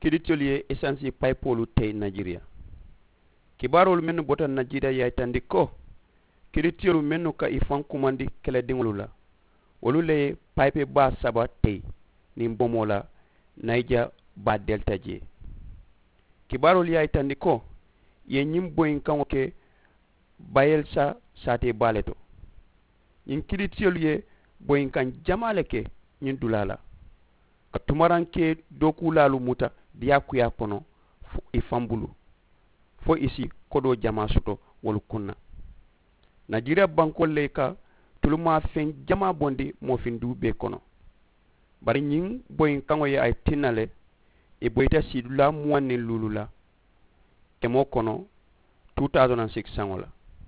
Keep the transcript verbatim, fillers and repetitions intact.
Kiritiyolu ye esansi payipoolu teyi najiriya. Kibaaroolu mennu bota najiriya ye a yitandi ko kiritiyolu mennu ka i faŋ kumandi kelediŋolu la, wolu le ye payipe baa saba teyi niŋ bomoo la nayija baa delita jee. Kibaaroolu ye a yitandi ko i ye ñiŋ boyinkaŋo ke bayelisa saatee baa le to. Ñiŋ kiritiyolu ye boyinkaŋ jamaa le ke ñiŋ dulaa la ka tumarankee dookuulaalu muta diyaakuyaa kono i faŋ bulu fo i si kodoo jamaa soto wolu kuŋ na. Najiriya bankoolu le ka tulumaafeŋ jamaa bondi moofindiŋ bee kono. Bari ñiŋ boyinkaŋo ye a ye tinna le i boyita siidulaa muwaŋ niŋ luulu la kemoo kono two thousand and six saŋo la.